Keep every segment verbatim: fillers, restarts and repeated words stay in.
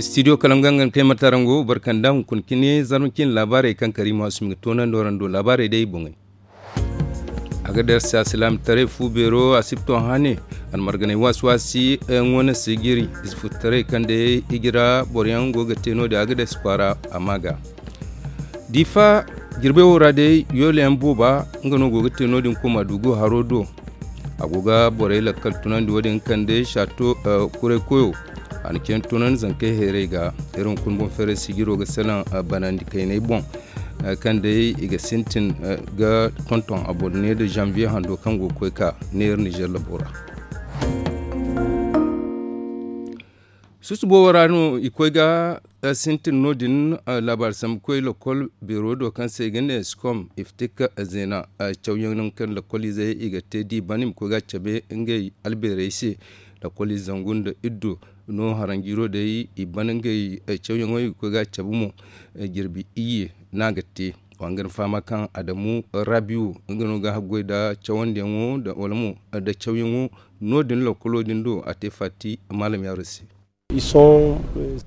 Studio kalangu yaŋ ga ni kay marta ra nga wo barkanda hunkuna cine zarma cine laabaarey kaŋ kariima asumi ga toonandi warando laabaarey day boŋey. Agades alsilaamataray fu beero asibto hane almarganey waasi-waasi yaŋo na sigiri ize fututaray kaŋ day ijira boro yaŋ go ga te no- din agades kwaara a ma ga diifa jirbey wo ra day yoole yaŋ booba nga no go ga te no- din koma dugu haro do. A go ga borey lakkal tunandi wo- din kaŋ day saato kuray koyo a na cine tunandi zankey heeray ga. Iri hunkuna boŋ feeray sijiro ga salaŋ banandi kayney boŋ kaŋ day i ga sintin ga tonton abonne nda zanviye hando kaŋ go ga koy ka neera nizer labo ra. Susubo wo ra no i koy ga sintin no- din. Laabaari sambu koy lokol beero do kaŋ se i ga ne skom iftik zeena cawyaŋ kaŋ lokol izey i ga te da i ban i ma koy ga a cabe ngey albeerey se. Lokol ize zangu nda iddu no haranjiiro day i ban ngey cawyaŋo i ga koy ga a cabe mo. Jirbi iyye no a ga te. Wa nga ni fahama kaŋ adamu rabiyu nga no ga haggoy nda cawandiyaŋo wala mo nda cawyaŋo no- din lokolo din do a te faati maalam yaaro se.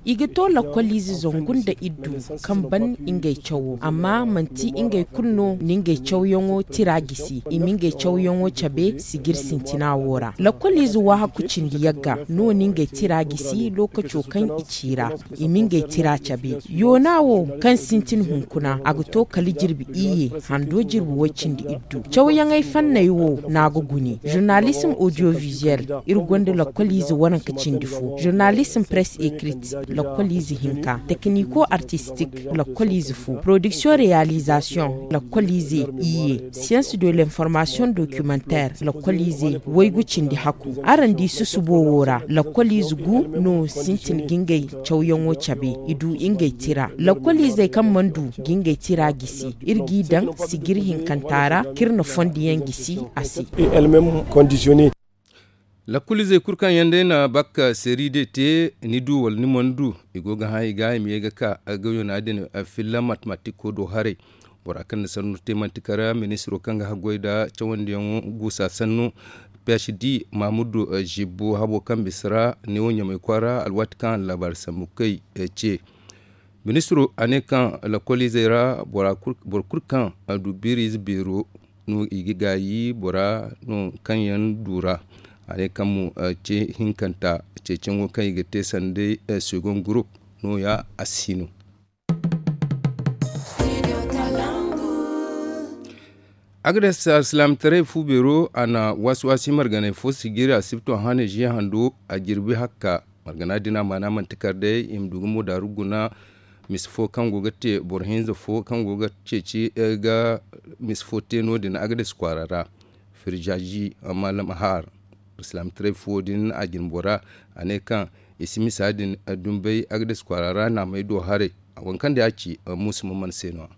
I ga to lakkoliize zangu nda iddu kaŋ ban ngey cawo amma manti ngey kulu no na ngey cawyaŋo tira gisi i ma ngey cawyaŋo cabe sijir sintina wo ra lakkoliize waahaku cindi yagga no na ngey tira gisi lookaco kaŋ i ci ra i ma ngey tira cabe. Yoona wo kaŋ sintin hunkuna a ga to kala jirbi iyye hando jirbi way-cindi-iddu. Cawyaŋey fanney wo no a ga gune zurnalism audiovisuel, iri gonda lakkoliize waranka cindi fo zurnalism press écrite, lakkoliize hinka tekniko artistik, lakkoliize fo production réalisation, lakkoliize iyye science de l'information documentaire, lakkoliize waygu cindi haku. Araŋ di susubo wo ra lakkoliize gu no sintin ga ngey cawyaŋo cabe i du ngey tira. Lakkoliizey kaŋ mana du ga ngey tira gisi iri g'i daŋ sijir hinkanta ra kaŋ iri na fondo yaŋ gisi a se. Lakkoliizey kulu kaŋ yaŋ day na bak seeri day te ni du wala ni mana du i go ga hã i ga i ma ye ga ka gayo no- din filla matematiko do haray. Bora kaŋ na sannu te manti kala ministiro kaŋ ga haggoy nda cawandiyaŋo guusa sannu, phd, mamudu zibbo habo kaŋ bisa ra neewo ɲamay kwaara alwaati kaŋ a na laabaari sambu kay ce. Ministiro a ne kaŋ lakkoliizey ra boro kulu kaŋ a du biiriize beero no i ga gaayi bora no kaŋ yaŋ du ra. A ne kaŋ mo ce hinkanta ceeciyaŋo kaŋ i ga te sanda segon gurup no- ya a si no. Agades alsilaamataray fu beero a na waasi-waasi marganey fo sijiri asibto hane ziya hando a jirbi hakka. Margana din a maana manti kar day i ma du ga moodaaru guna. Mise fo kaŋ go ga te boro hinza fo kaŋ go ga ceeci ga mise fo te no- din agades kwaara ra. Firjaji mallam har alsilaamataray fuwo din a jine bora a ne kaŋ i si misa din dumbay agades kwaara ra naamey do haray. Waŋ kaŋ day a ci muusa ma mana se no- ya.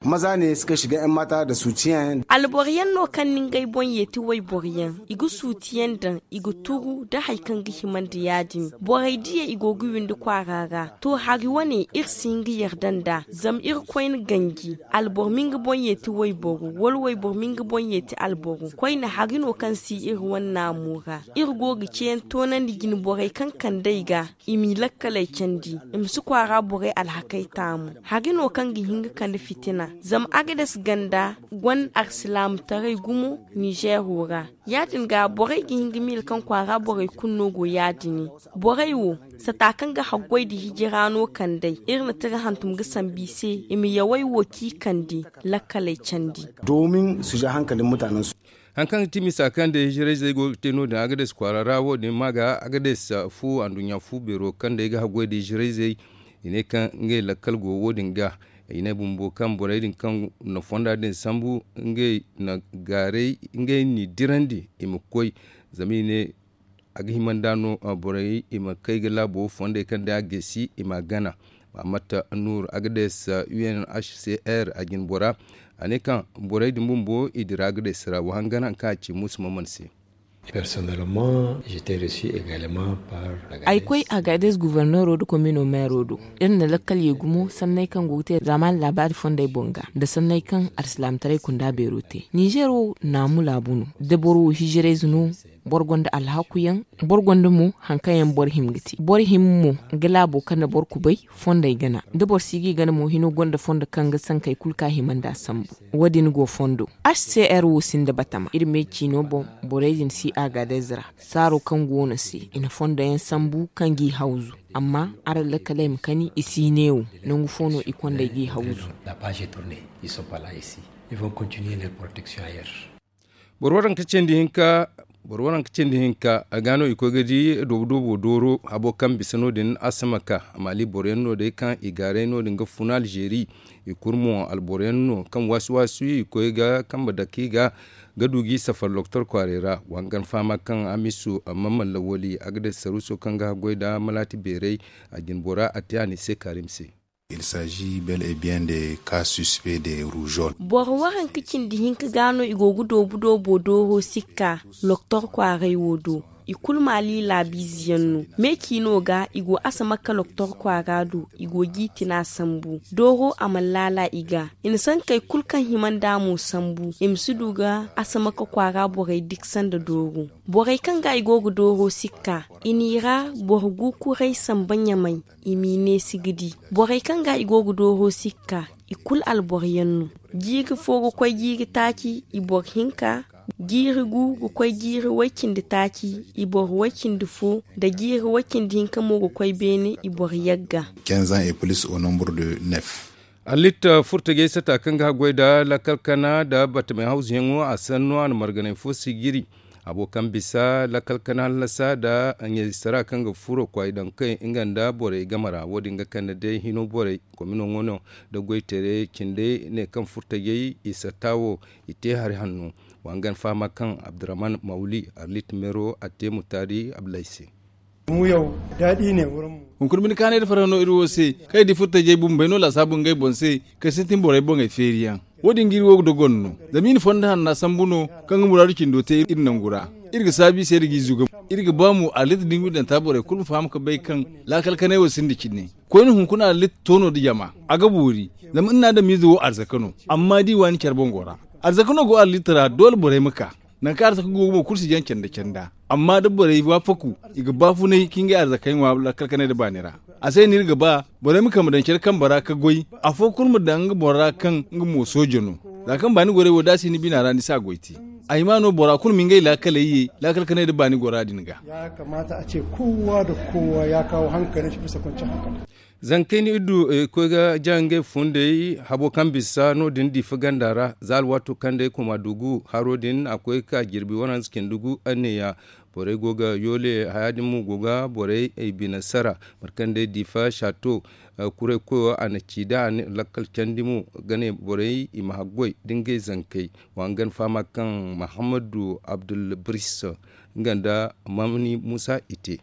Maza ne suka shiga yan mata da suciyan. Alboro yaŋ no kaŋ na ngey boŋ yeeti wayboro yaŋ i ga suutiyaŋ daŋ i ga turu nda hari kaŋ ga hima nda ya- din. Borey diya i go ga windi kwaara ra. To hari wane iri si hin ga yarda nd'a zama iri koyne ganji. Alboro ma nga boŋ yeeti wayboro wala wayboro ma nga boŋ yeeti alboro koyne hari no kaŋ si iri wane naamo ra. Iri go ga ceeyaŋ toonandi jine borey kaŋ kand'ey ga i m'i lakkaley candi. I ma si kwaara borey alhakey taamu hari no kaŋ ga hin ga kande fitina. Zama agades ganda gonda alsilaamataray gumo ninzeero ra. Ya- din ga borey ga hin ga miila kaŋ kwaara borey kulu no go ya- din. Borey wo sata kaŋ ga haggoy nda hijira no kand'ey iri na tira hantum ga sambu i se i ma yawey wo kaŋ i kande lakkaley candi. Hari kaŋ ga ti misa kaŋ day hijirayzey go ga te no- din agades kwaara ra wo- din ma ga agades fu anduɲɲa fu beero kaŋ day ga haggoy nda hijirayzey. I ne kaŋ ngey lakkal go wo- din ga i ne bumbo kaŋ borey din kaŋ na fonda din sambu ngey na gaaray ngey n'i dirandi i ma koy. Zama i ne a ga hima nd'a no borey i ma kay ga laabo fondey kaŋ day a gaysi i m'a gana. Mahamat nuur agades unhcr a jine bora a ne kaŋ borey din bumbo i dira agades ra wa hangan hari kaŋ a ci muusa maman se. Personnellement, j'étais reçu également par Agadez. Ay koy Agadez, gouverneur do komino maire do. Iri na lakkal ye gumo sanney kaŋ go ga te zaamaani laabaari fondey boŋ ga nda sanney kaŋ alsilaamataray kunda beero te. Nizer wo naamu laabu no. Da boro wo hijirayze no, boro gonda alhakuyaŋ, boro gonda mo haŋ kaŋ yaŋ boro hima ga te. Boro hima mo ga laabo kande boro kubay fondey gana. Da boro si ga i gana mo, hino gonda fondo kaŋ ga sankey kulu kaŋ a hima nd'a sambu. Wo-din go fondo. H C R wo sinda batama iri me ciino boŋ. Borey din si Agadez ra. Saaro kaŋ go no se, i na fondo yaŋ sambu kaŋ g'i hawzu. Amma araŋ lakkaley ma kani, i si ne wo. Nangu fo no i kondey g'i hawzu. Boro waranka cindi hinka, boro waranka cindi hinka, a ga no i koy ga di doobu doobo dooro habo kaŋ bisa no- din asamaka. Maali boro yaŋ no day kaŋ i gaaray no- din ga funa alzeeri. I kulu mo alboro yaŋ no kaŋ waasi waasi i koy ga kambe dake i ga ga du g'i safar loktor kwaaray ra. Wa hangan fahama kaŋ hamisu amma mallawali a ga day saruuso kaŋ ga haggoy nda malaati beeray. A jine bora a te a ne se kaarim se. Il s'agit bel et bien de cas suspect de rougeole. Boro waranka cindi hinka ga no i go ga doobu doobo dooro sikka loktor kwaaray wo do. I kulu maali laabiize yaŋ no. Me ciino ga i go asamaka loktor kwaara do. I go g'i tina sambu dooro a mana laala i ga. I na sankey kulu kaŋ hima nd'a mo sambu i ma si du ga asamaka kwaara borey diksa nda dooro. Borey kaŋ ga i go ga dooro sikka, i n'i ra boro gu kuray samba ɲamay. I m'i neesi ga di borey kaŋ ga i go ga dooro sikka. I kulu alboro yaŋ no. Jiiri fo ga koy jiiri taaci i boro hinka. Jiiri gu ga koy jiiri way-cindi taaci i boro way-cindi fo. Nda jiiri way-cindi hinka mo ga koy beene i boro yagga. Quinze ans et plus au nombre de neuf. Allit furtajey sata kaŋ ga haggoy nda lakkal kana nda batamey hawzuyaŋo a sanno a na marganay fo sijiri. Habo kaŋ bisa lakkal kana hallasa nda ɲayzisara kaŋ ga furo kwaay daŋ kay nga nda borey game ra wo- din ga kande day hino borey komino ŋwano nda goytaray cindey ne kaŋ furtajey i satta wo. I te hari hanno. Wa hangan fahama kaŋ abdurrahman mawli arlit meero a te mutaari abdulay se. Hunkuna bine kaanay da farhã no iri wo se kaŋ i di furtajey bumbey no laasaabu ngey boŋ se. Kaŋ sintin borey boŋey feeriyaŋ wo- din ga iri wo ga dogon no. Zama i na fondo hanna sambu no kaŋ ga muraadu cindo te iri nangu ra. Iri ga saabu i se iri g'i zuga. Iri ga ba mo arlit da ngudanta borey kulu ma faham ga bay kaŋ laakal kanay wo sinda cine. Koyne hunkuna arlit toono nda jama a ga boori. Zama iri na adamiize wo arzaka no. Amma da i waani care boŋ go ra arzaka no go arlit ra doole borey ma ka. Nangu kaŋ arzaka go ga mo kulu si jaŋ canda canda. Amma da borey waafaku i ga baafunay ka ngey arzakey ŋwa lakkal kanay nda baani ra. A se no iri ga ba borey ma kambe daŋ care kambe ra ka goy. Afo kulu ma daŋ nga boro ra kaŋ nga mo soojo no. Za kaŋ baani gorey wo da a si ni bina ra ni si a goy te. A hima no bora kulu ma ngey laakaley ye laakal kanay nda baani gora din ga. Ya kamata a ce kowa da kowa ya kawo hankalin shi bisa kwanciyar hankali. Zankey ni iddu koy ga ja ngey fundey habo kaŋ bisa no- din difa ganda ra za alwaato kaŋ day koma dugu haro din a koy ga ka jirbi waranza cindi gu anneya. Borey go ga yoole haya din mo go ga borey ay bine sara. Mate kaŋ day difa shato kuray koyo a na ci da a na lakkal candi mo ga ne borey i ma haggoy da ngey zankey. Wa hangan fahama kaŋ mahammadu abdulbris nga nda mamni musa i te.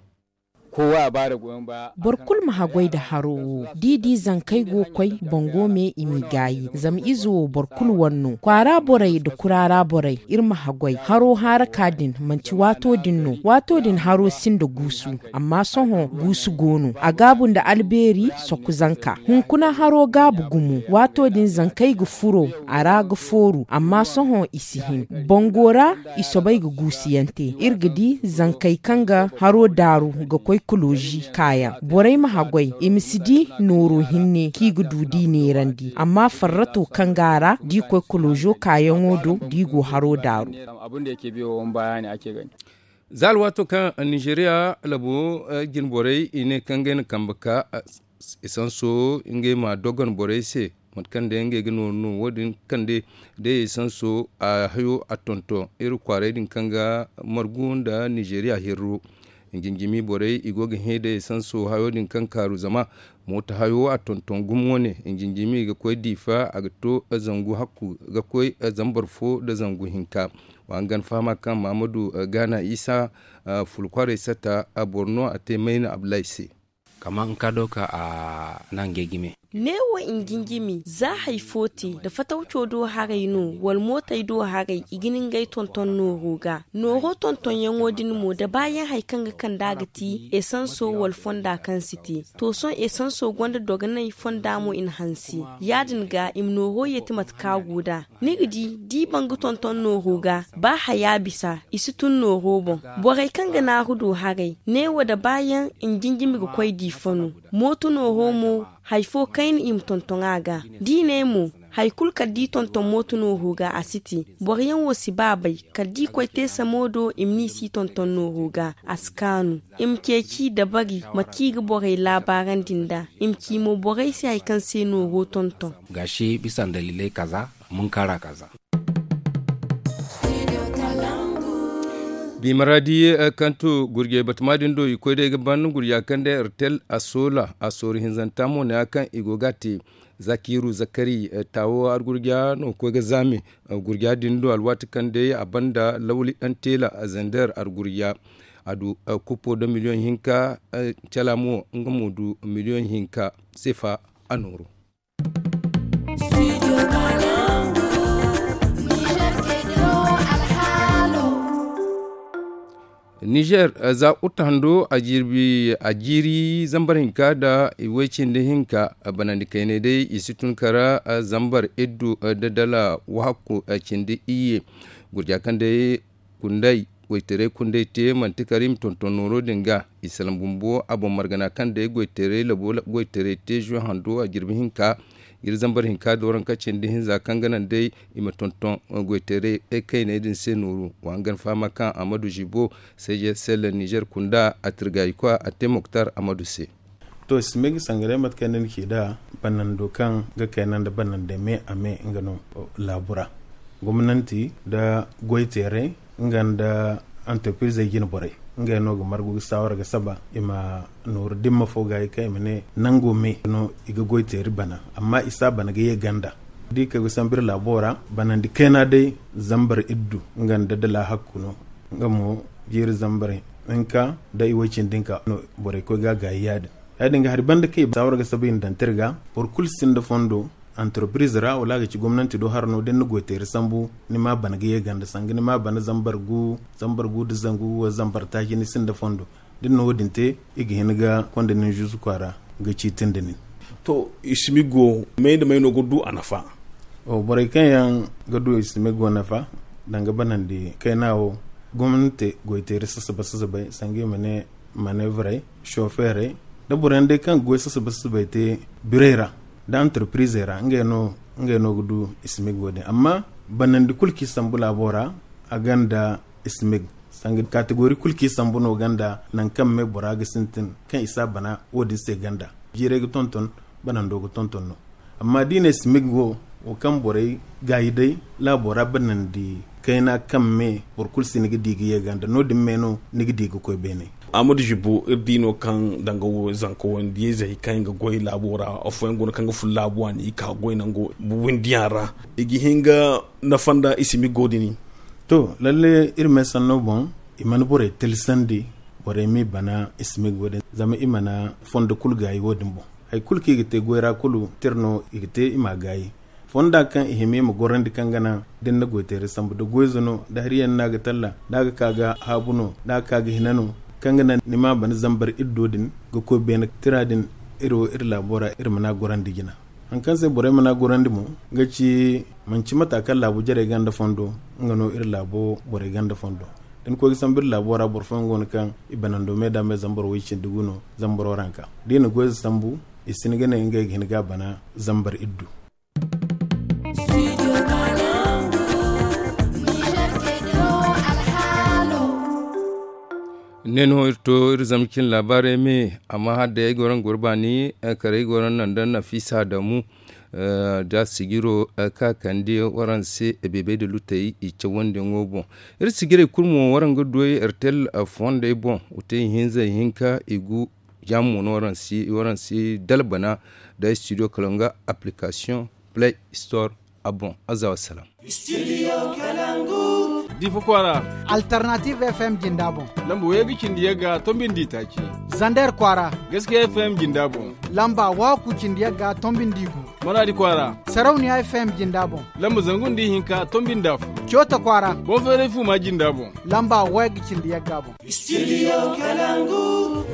Boro kulu ma haggoy nda haro wo da i di zankey go ga koy bango me i m'i gaayi zama ize wo boro kulu wane no kwaara borey nda kuraara borey. Iri ma haggoy haro haaraka din manti waato din no waato din haro sinda guusu. Amma sohõ guusu go no a gaabu nda albeeri sokku zanka hunkuna haro gaabu gumo waato din zankey ga furo a ra ga fooru amma sohõ i si hin. Bango ra i soobay ga guusuyaŋ te iri ga di zankey kaŋ ga haro daaru ga koy kolozi kaayaŋ borey ma haggoy i ma si di nooro hinne kaŋ i ga du da i neerandi amma farrato kaŋ go a ra da i koy kolozo kaayaŋo do da i go haro daaru. Za alwaato kaŋ nizeriya labo jinborey i ne kaŋ ngey na kambe ka esanso ngey ma dogon borey se mate kaŋ day ngey ga nooru no wo- din kaŋ day day esanso a hayo a tonton iri kwaaray din kaŋ ga margu nda nizeriya hirro. Jinjimi borey i go ga hẽ day esanso hayo din kaŋ kaaru zama mooto hayo a tonton gumo wane jinjimi ga koy diifa a ga to zangu hakku ga koy zambar fo nda zangu hinka. Wa hangan fahama kaŋ mahamadu gaana isa fulu kwaaray satta boro no a te mayna abdulahi se. Kaman ka do ka a naŋ ga ay ga me. Neewo i na jinjimi za hari fo te, da fatawco do haray no wala mootey do haray, i ga ni ngey tonton nooro ga. Nooro tontonyaŋo din mo da baayaŋ hari kaŋ ga kand'a ga ti esanso wala fonda kaŋ si te. To sohõ esanso gonda dogonay, fonda mo i na hanse. Ya- din ga i ma nooro yeeti mate kaŋ a go nd'a. Ni ga di, da i ban ga tonton nooro ga, ba haya bisa, i si tun nooro boŋ. Borey kaŋ ga naaru du haray, neewo da baayaŋ i na jinjimi ga koy diifa no. Mooto nooro mo, hari fo kayna i ma tonton a ga. Da i ne mo, hari kulu kala da i tonton mooto nooro ga, a si te. Boro yaŋ wo si ba bay, kala da i koy te samo do, i ma ne i si tonton nooro ga, a si kaanu. I ma ceeci dabari mate kaŋ i ga borey laabaarandi nd'a. I ma ci mo borey se hari kaŋ se nooro tonton. Gashi bisa ndaliley kaza, munkara kaza. Bi maradi, eh, kaŋ to gurjey batama din do, i koy day ga ban gurja kaŋ day ertel a soola a sooru hinzanta mo ne ya kaŋ i go ga a te. Zakiru zakari, eh, taawo argurja no koy ga zaame, eh, gurja din do alwaati kaŋ day a banda lawli ɗan teela, eh, zender argurja. A du, eh, kupo da miliyoŋ hinka, eh, cala mo nga mo du miliyoŋ hinka sefa a nooru. Nizer, za uta hando a jirbi a jiiri zambar hinka da iway cindi hinka, banandi kaynay day i si tun kara zambar iddu da dala wahakku cindi iyye. Gurja kaŋ day kunday, goytaray kunday te manti kara i ma tonton nooro din ga. I salaŋ bumbo a boŋ margana kaŋ day goytaray labo goytaray te zuwe hando a jirbi hinka. Iri zambar hinka dooranka cindi hinza kaŋ ga naŋ day i ma tonton goytaray kaynay din se nooru. Wa hangan fahama kaŋ amadu zibo seje selle nizer kunda a tirgayikwa a te moktar amadu se. To simeg sangaray mate kaŋ ni na ci da banando kaŋ ga kayna nda banande me a me nga no. Laabo ra gomnanti nda goyteeray nga nda antarpirizey jine borey ngey no ga margu ga saawara ga saba i ma nooru dimma fo gaayi kaŋ i ma ne nango me no i ga goyteeri bana. Amma i si a bana ga ye ganda da i kay ga sambu iri laabo ra banandi kayna day zambar iddu nga nda dala hakku no. Nga mo jiiri zambar hinka da iway cindi hinka no borey koy ga a gaayi ya- din ya- din ga hari banda kaŋ i saawar ga saba i na daŋ te iri ga. Boro kulu sinda fondo antarpiriz ra wala a ga ci gomnanti do hara no da ni na goyteeri sambu ni ma a bana ga ye ganda sanga ni ma a bana zambar gu zambar gu nda zangu wala zambar taaci ni sinda fondo. Da ni na wo- din te i ga hin ga konda nin zuzu kwaara ga ciiti nda nin. To isimigo may nda may no ga du a nafa? Borey kaŋ yaŋ ga du isimigo nafa danga banandi kayna wo gomnante goyteeri sasaba sasabay sanga i ma ne maneevrey sofeerey da boro yaŋ day kaŋ ga goy sasaba sasabay te birey ra nda antarpirizey ra ngey no ga du isimigo din amma banandi kulu kaŋ i sambu laabo ra a gonda isimigo sanga kategori kulu kaŋ i sambu no gonda nangu kaŋ me bora ga sintin kaŋ i si a bana wo- din se gonda jiirey ga tonton banando ga tonton no. Amma da i ne simig wo wo kaŋ borey gaayi day laabo ra banandi kayna kaŋ me boro kulu si ni ga di ga ye ganda no- din me no ni ga di ga koy beene. Amadu zibo iri di no kaŋ danga wo zanka wandiyey zey kaŋ i ga goy laabo ra afooyaŋ go no kaŋ ga fun laabo a n'i ka goy nango windiyaŋ ra i ga hin ga nafa nda i simig wo- din. To lalle iri me sanno boŋ i mana borey tilsandi borey m'i bana i simig wo- din zama i mana fondo kulu gaayi wo- din boŋ. Hari kulu kaŋ i ga te goy ra kulu tira no i ga te i m'a gaayi fonda kaŋ i hima i ma gorandi kaŋ ga naŋ da ni na goyteeri sambu da goyze no da hari yaŋ no a ga talla da a ga ka ga haabu no da a ga ka ga hina no kaŋ ga naŋ ni ma a bana zambar iri do din ga koy beene tira din iri wo iri laabo ra iri mana gorandi jina. Hari kaŋ se borey mana gorandi mo ga ci manci mata kaŋ laabu jarey gonda fondo nga no iri laabo borey gonda fondo da ni koy ga sambu iri laabo ra boro fooyaŋ go no kaŋ i banando me da me zambaro way cindi gu no zambaro ranka da i na goyze sambu i si hin ga ne ngey ga hin ga a bana zambar iddu. Ne no iri to iri zama cin laabaarey me amma hala day ay goro nga goro baani kala ay goro nda nafiisa adamu da sijiro kaŋ a kande waraŋ se beebey nda lutey i cawandiyaŋo boŋ. Iri sijirey kulu mo waraŋ ga du ay ertel fondey boŋ wa te ihinza ihinka i gu jaama mo no waraŋ si dala bana nda studio kala nga application play store. A boŋ, aza wassalam. Difa kwaara. Alternative F M jinda boŋ. Lamba wayga cindi yagga tombindi taaci. Zander kwaara. Gaskiya F M jinda boŋ. Lamba waaku cindi yagga tombindi gu. Maradi kwaara. Sarauniya F M jinda boŋ. Lamba zangu nda ihinka tombindi afo. Coota kwaara. Boŋ feeray fuuma jinda boŋ. Lamba wayga cindi yagga boŋ. Studio Kalangu.